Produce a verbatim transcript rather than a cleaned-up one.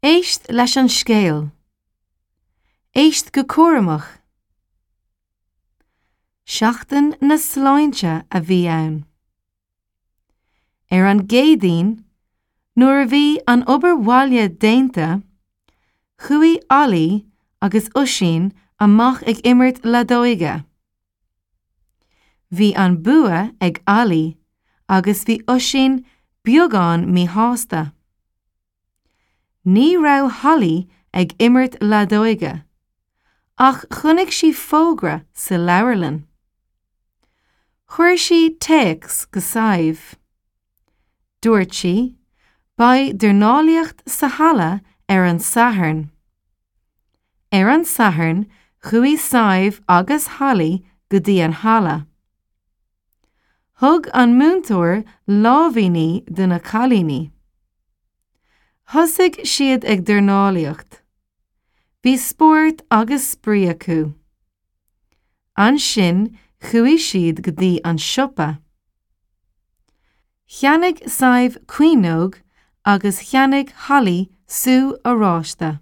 Éist leis an scéal. Éist go cúramach. Seachtain na Sláinte a bhí ann. Ar an gCéadaoin, nuair a bhí an obair bhaile déanta, chuaigh Ollie agus Oisín amach ag imirt leadóige. Bhí an bua ag Ollie agus bhí Oisín beagán míshásta. Ní raibh Holly ag imirt leadóige, ach chonaic sí fógra sa leabharlann. Chuir sí téacs go Sadhbh. Dúirt sí, Beidh dornálaíocht sa halla ar an Satharn. Ar an Satharn chuaigh Sadhbh agus Holly go dtí an halla. Thug an múinteoir lámhainní do na cailíní. Thosaigh siad ag dornálaíocht. Bhí spórt agus spraoi acu. Ansin chuaigh siad go dtí an siopa. Cheannaigh Sadhbh caoineog agus cheannaigh Holly sú oráiste.